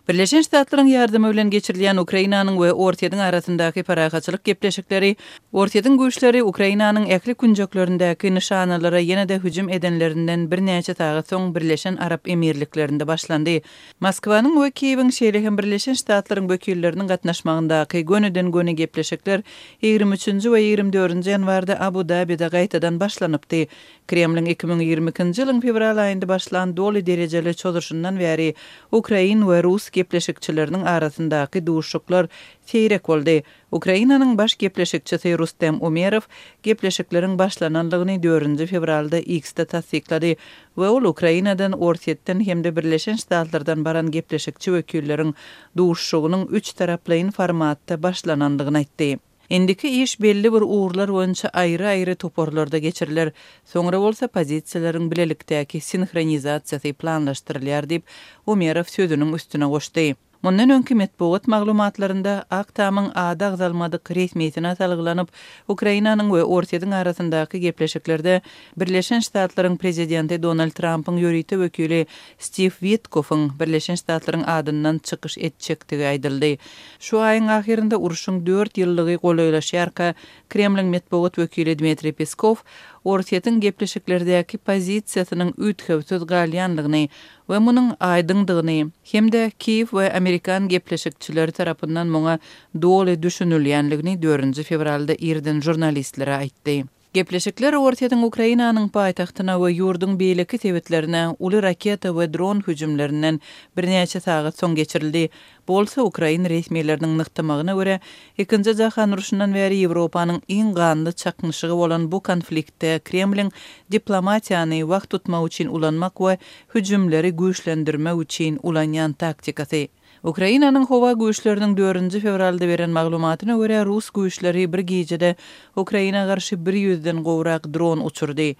Birleşen Ştatlaryň ýardamy bilen geçirilýän Ukrainanyň we Orsýetiň arasyndaky parahatçylyk gepleşikleri Orsýetiň güýçleri Ukrainanyň ähli künjeklerindäki nyşanalara ýene-de hüjüm edenlerinden birnäçe sagat soň Birleşen Arap Emirliklerinde başlandy. Moskwanyň we Kiýewiň, şeýle hem Birleşen Ştatlaryň wekilleriniň gatnaşmagyndaky gönüden-göni gepleşikler 23-nji we 24-nji ýanwarda Abu-Dabide gaýtadan başlanypdy. Kremliň 2022-nji ýylyň fewral aýynda başlan doly derejeli çozuşyndan bäri ukrain we rus gepleşikçileriniň arasyndaky duşuşyklar seýrek boldy. Ukrainanyň baş gepleşikçisi Rustem Umerow gepleşikleriň başlanandygyny dördünji fewralda X-de tassyklady we ol Ukrainadan, Orsýetden hem-de Birleşen Ştatlardan baran gepleşikçi wekilleriň duşuşygynyň üçtaraplaýyn formatda başlanandygyny aýtdy. Indiki iş belli bir ugurlar boýunça aýry-aýry toparlarda geçiriler, soňra bolsa pozisiýalaryň bilelikdäki sinhronizasiýasy planlaşdyrylýar diýip, Umerow sözüniň üstüne goşdy. Mundan öňki metbugat maglumatlarynda Ak Tamyň ady agzalmadyk resmisine salgylanyp, Ukrainanyň we Orsýetiň arasyndaky gepleşiklerde Birleşen Ştatlaryň prezidenti Donald Trampyň ýörite wekili Stiw Witkoffyň Birleşen Ştatlaryň adyndan çykyş etjekdigi aýdyldy. Şu aýyň ahyrynda urşuň dört ýyllygy golaýlaşýarka, Kremliň metbugat wekili Dmitriý Peskow Orsýetiň gepleşiklerdäki pozisiýasynyň üýtgewsiz galýandygyny we munuň aýdyňdygyny hem-de Kiýew we amerikan gepleşikçileri tarapyndan muňa doly düşünilýändigini dördünji fewralda irden žurnalistlere aýtdy. Gepleşikler Orsýetiň Ukrainanyň paýtagtyna we ýurduň beýleki sebitlerine uly raketa we dron hüjümlerinden birnäçe sagat soň geçirildi. Bu bolsa ukrain resmileriniň nygtamagyna görä, Ikinji jahan urşundan bäri Ýewropanyň iň ganly çaknyşygy bolan bu konfliktde Kremliň diplomatiýany wagt tutmak üçin ulanmak we hüjümleri güýçlendirmek üçin ulanýan taktikasy. Ukrainanyň howa güýçleriniň dördünji fewralda beren maglumatyna görä, rus güýçleri bir gijede Ukraina garşy bir ýüzden gowrak dron uçurdy.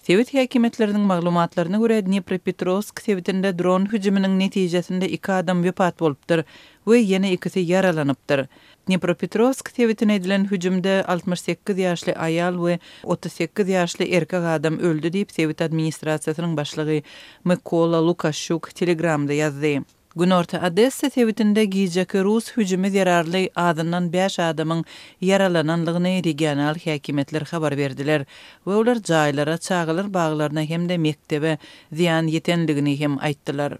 Sebit häkimiýetleriniň maglumatlaryna görä, Dnipropetrowsk sebitinde dron hüjüminiň netijesinde iki adam wepat bolupdyr we ýene ikisi ýaralanypdyr. Dnipropetrowsk sebitine edilen hüjümde 68 ýaşly aýal we 38 ýaşly erkek adam öldi diýip, sebit administrasiýasynyň başlygy Mykola Lukaşýuk Telegramda ýazdy. Günorta Odessa sebitinde gijeki rus hüjümi zerarly azyndan bäş adamyň ýaralanandygyny regional häkimiýetler habar berdiler we olar jaýlara, çagalar baglaryna hem-de mekdebe zyýan ýetendigini hem aýtdylar.